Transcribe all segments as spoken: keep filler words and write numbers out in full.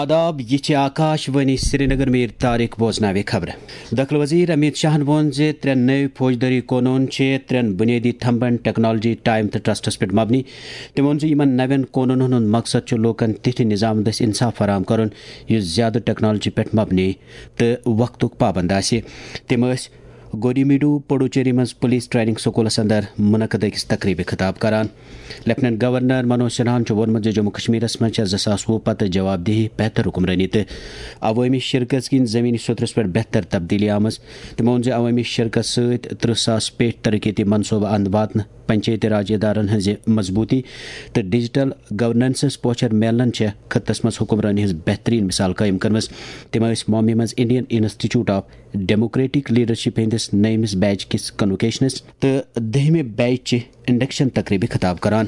آداب، یہِ چھِ آکاش وانی سرینگر۔ میر طارق بوزناوِ خبرٕ۔ دٲخلہٕ وزیر امیت شاہن ووٚن زِ ترٛےٚ نٔوۍ فوجدٲری قونوٗن چھِ ترٛٮ۪ن بُنیٲدی تھمبن ٹیکنالوجی، ٹائم تہٕ ٹرسٹس پٮ۪ٹھ مبنی۔ تٔمۍ ووٚن زِ یِمن نوٮ۪ن قونوٗنن ہُنٛد مقصد چھُ لوٗکن تِتھِ نظام دٔسۍ انصاف فراہم کرُن یُس زیادٕ ٹیکنالوجی پٮ۪ٹھ مبنی تہٕ وقتُک پابند آسہِ۔ تِم ٲسۍ گوڈیمیڈو پڈوچیری منٛز پولیس ٹریننگ سکولس اندر منعقد أکِس تقریبہِ خطاب کران۔ لیفٹیننٹ گورنر منوج سنہاہن چھُ ووٚنمُت زِ جموں کشمیرس منٛز چھےٚ زٕ ساس وُہ پتہٕ جواب دہی، بہتر حکمرٲنی تہٕ عوٲمی شرکت کِنۍ زمینی سطرس پٮ۪ٹھ بہتر تبدیلی آمٕژ۔ تٔمۍ ووٚن زِ عوٲمی شرکت سۭتۍ ترٕہ ساس پیٹھ ترقیتی منصوبہٕ اند واتنہٕ، پنچایتی راج ادارن ہٕنٛزِ مضبوٗطی تہٕ ڈیجیٹل گورننسس پوچھر میلنن چھےٚ خطس منٛز حکمرٲنی ہٕنٛز بہترین مثال قٲیِم کٔرمٕژ۔ تِم ٲسۍ ممبئی منٛز Indian institute of democratic leadership ہٕنٛدِس نٔیمِس بیچ کِس کنووکیشنس تہٕ دٔہمہِ بیچ چہِ انڈکشن تقریبہِ خطاب کران۔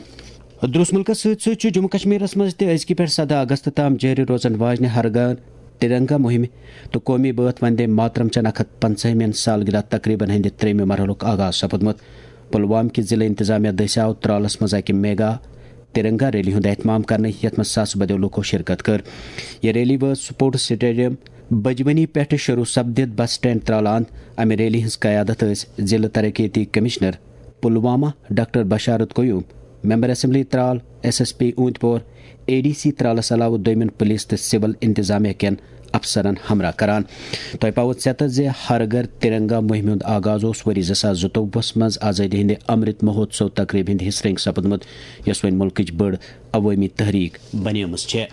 درس ملکس سۭتۍ سۭتۍ چھُ جموں کشمیرس منٛز تہِ أزکہِ پٮ۪ٹھ سداہ اگست تام جٲری روزن واجنہِ ہر گھر ترنگا مہمہِ تہٕ قومی بٲتھ وندے ماترم چٮ۪ن اکھ ہتھ پنژاہمٮ۪ن سالگرہ تقریبن ہٕنٛدِ ترٛیٚیمہِ مرحلُک آغاز سپدمُت۔ پلوام کہِ ضلع انتظامیہ دٔسۍ آو ترالس منٛز اکہِ میگا ترنگا ریلی ہُنٛد اہتمام کرنہٕ، یتھ منٛز ساسہٕ بدیو لوٗکو شرکت کٔر۔ یہِ ریلی وٲژ سپورٹس سٹیڈیم بجونی پٮ۪ٹھٕ شروع سپدِتھ بس سٹینڈ ترالان۔ امہِ ریلی ہٕنٛز قیادت ٲسۍ ضلع ترقیتی commissioner Pulwama doctor Basharat Qayoom, member assembly Tral, S S P Awantipora, A D C ترالس علاوٕ دوٚیمٮ۪ن پولیس تہٕ سول انتظامیہ کٮ۪ن افسرن ہمراہ کران۔ تۄہہِ پاوو ژٮ۪تس زِ ہر گھر ترنگا مہمہِ ہُنٛد آغاز اوس ؤری زٕ ساس زٕتووُہس منٛز آزٲدی ہٕنٛدِ امرت مہوتسو تقریبہِ ہٕنٛدِ حصہٕ رنگۍ سپدمُت، یۄس وۄنۍ مُلکٕچ بٔڑ عوٲمی تحریک بنیمٕژ چھےٚ۔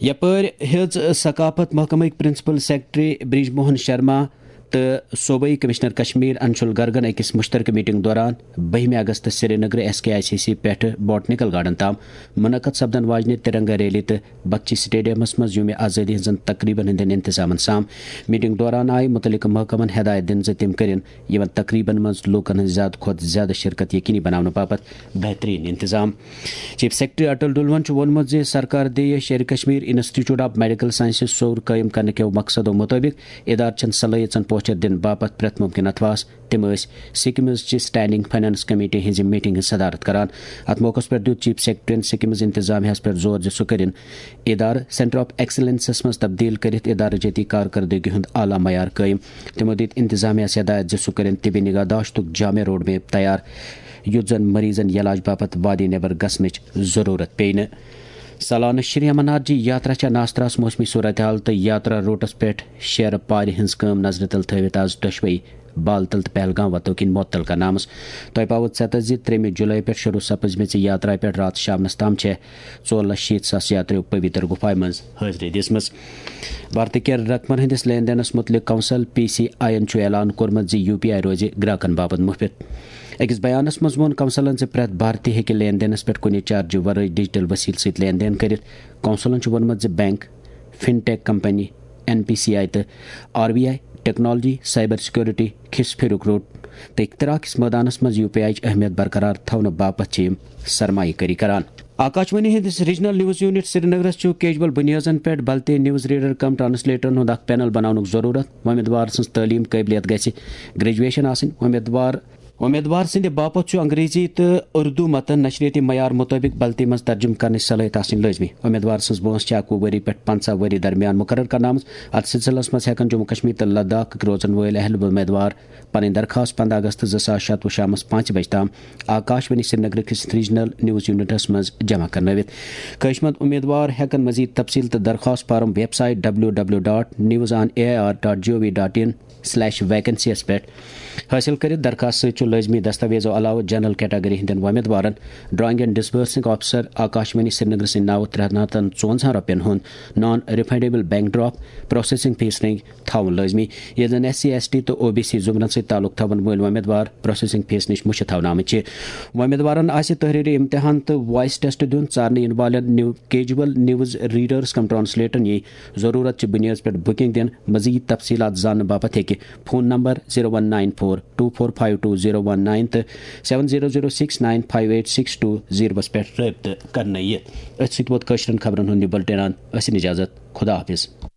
یپٲرۍ ہیٚژ ثقافت محکمٕکۍ پرنسپل سیکرٹری برج موہن شرما تہٕ صوبائی کمشنر کشمیر انشول گرگن أکِس مشترکہ میٹنگ دوران بٔہمہِ اگست Srinagar S K I C C پٮ۪ٹھٕ بوٹنیکل گارڈن تام منعقد سپدن واجنہِ ترنگا ریلی تہٕ بخشی سٹیڈیمس منٛز یوم آزٲدی ہٕنٛزن تقریبن ہٕنٛدٮ۪ن انتظامن سام۔ میٹنگ دوران آیہِ متعلقہٕ محکمن ہدایت دِنہٕ زِ تِم کٔرِن یِمن تقریبن منٛز لوٗکن ہٕنٛز زیادٕ کھۄتہٕ زیادٕ شرکت یقینی بناونہٕ باپتھ بہترین انتظام۔ چیف سیکرٹری اٹل ڈلون چھُ ووٚنمُت زِ سرکار دِیہِ Sher Kashmir institute of medical sciences سوٚر قٲیِم کرنہٕ کٮ۪و مقصدو مطٲبق ادارٕ چٮ۪ن صلٲحیژن پوچھر دِنہٕ باپتھ پرٛٮ۪تھ مُمکِن اتھواس۔ تِم ٲسۍ سکمز چہِ سٹینڈنگ فنانس کمیٹی ہٕنٛزِ میٹنگ ہٕنٛز صدارت کران۔ اتھ موقعس پٮ۪ٹھ دیُت چیف سیکرٹریَن سکمز انتظامیہس پٮ۪ٹھ زور زِ سُہ کٔرِن ادارٕ سینٹر آف ایکسیلنسس منٛز تبدیل کٔرِتھ ادارٕ جٲتی کارکردگی ہُنٛد اعلیٰ معیار قٲیِم۔ تِمو دِتۍ انتظامیہس ہدایت زِ سُہ کٔرِن طبی نگہداشتُک جامع روڈ میپ تیار، یُتھ زن مریضن علاج باپتھ وادی نیبر گژھنٕچ ضرورت پیٚیہِ نہٕ۔ سالانہٕ شری امرناتھ جی یاترا چھےٚ ناستراس موسمی صورتحال تہٕ یاترا روٹس پٮ۪ٹھ شیرٕ پارِ ہٕنٛز کٲم نظرِ تل تھٲوِتھ از دۄشوے بالتل تہٕ پہلگام وتو کِنۍ معطل کرنہٕ آمٕژ۔ تۄہہِ پاوو ژٮ۪تس زِ ترٛیٚیمہِ جولائی پٮ۪ٹھ شروع سپٕزمٕژِ یاترا پٮ۪ٹھ راتھ شامنس تام چھےٚ ژور لچھ شیٖتھ ساس یاترِیو پویتر گُفایہِ منٛز حٲضری دِژمٕژ۔ بھارتی کٮ۪ن رقمن ہٕنٛدِس لین دینس مُتعلق کونسل پی سی آئی یَن چھُ اعلان کوٚرمُت زِ یو پی آئی روزِ گراکن باپتھ مُفت۔ أکِس بیانس منٛز ووٚن کونسلن زِ پرٛٮ۪تھ بھارتی ہیٚکہِ لین دینس پٮ۪ٹھ کُنہِ چارجہِ ورٲے ڈیجیٹل وسیلہٕ سۭتۍ لین دین کٔرِتھ۔ کونسلن چھُ ووٚنمُت زِ bank, fintech company, N P C I تہٕ R B I, technology, cyber security, کھس پھیرُک روٚٹ تہٕ اختراع کِس مٲدانس منٛز یو پی آئی یٕچ اہمیت برقرار تھاونہٕ باپتھ چھِ یِم سرمایہ کٲری کران۔ آکاشوانی ہٕنٛدِس ریجنل نیوز یونٹ سرینگرس چھُ کیجول بنیادن پٮ۪ٹھ بلتے نیوز ریڈر کم ٹرانسلیٹرن ہُنٛد اکھ پینل بناونُک ضروٗرت۔ وۄمیدوار سٕنٛز تعلیٖم قٲبلیت گژھِ گریجویشن آسٕنۍ۔ وۄمیدوار وۄمیدوار سٕنٛدِ باپتھ چھُ انگریزی تہٕ اردو متن نشریٲتی معیار مُطٲبِق بلتی منٛز ترجمہٕ کرنٕچ صلٲحیت آسٕنۍ لٲزمی۔ وۄمیدوار سٕنٛز وٲنٛس چھِ اکوُہ ؤری پٮ۪ٹھ پنٛژاہ ؤری درمیان مقرر کرنہٕ آمٕژ۔ اتھ سلسلس منٛز ہٮ۪کن جموں کشمیر تہٕ لداخٕکۍ روزن وٲلۍ اہل وۄمیدوار پنٕنۍ درخواست پنٛداہ اگست زٕ ساس شتوُہ شامس پانٛژِ بجہِ تام آکاشوانی سرینگر کِس ریجنل نیوز یونٹس منٛز جمع کرنٲوِتھ۔ خٲہِشمند امیدوار ہٮ۪کن مزید تفصیل تہٕ درخواست form website W W dot news on A I R dot G O V dot in slash vacancies پٮ۪ٹھ حٲصِل کٔرِتھ۔ درخواست سۭتۍ چھُ لٲزمی دستاویزو علاوٕ جنرل کیٹاگری ہٕنٛدٮ۪ن وۄمیدوارن drawing and disbursing officer Akashvani Srinagar سٕنٛدِ ناوٕ ترٛےٚ ہتن ژُوَنزاہن رۄپین ہُنٛد non refundable bank draft processing fee رنگ تھاوُن لٲزمی، ییٚلہِ زن ایس سی، ایس ٹی تہٕ او بی سی زمرن سۭتۍ تعلق تھاون وٲلۍ وۄمیدوار پروسیسنگ فیس نِش مُشتھ تھاونہٕ آمٕتۍ چھِ۔ وۄمیدوارن آسہِ تحریری امتحان تہٕ وائس ٹیسٹ دیُن۔ ژارنہٕ یِنہٕ والٮ۪ن نیو-، کیجول نیوز ریڈرز کم ٹرانسلیٹرن یی ضرورت چہِ بنیادس پٮ۪ٹھ بکنگ دِنہٕ۔ مزید تفصیلات زاننہٕ باپتھ ہیٚکہِ phone number zero one nine four two four five two zero one nine تہٕ seven zero zero six nine five eight six two زیٖروَس پٮ۪ٹھ رٲبطہٕ کرنہٕ یِتھ۔ أتھۍ سۭتۍ ووت کٲشرٮ۪ن خبرن ہُنٛد یہِ بُلٹن اند۔ ٲسِن اجازت۔ خدا حافظ۔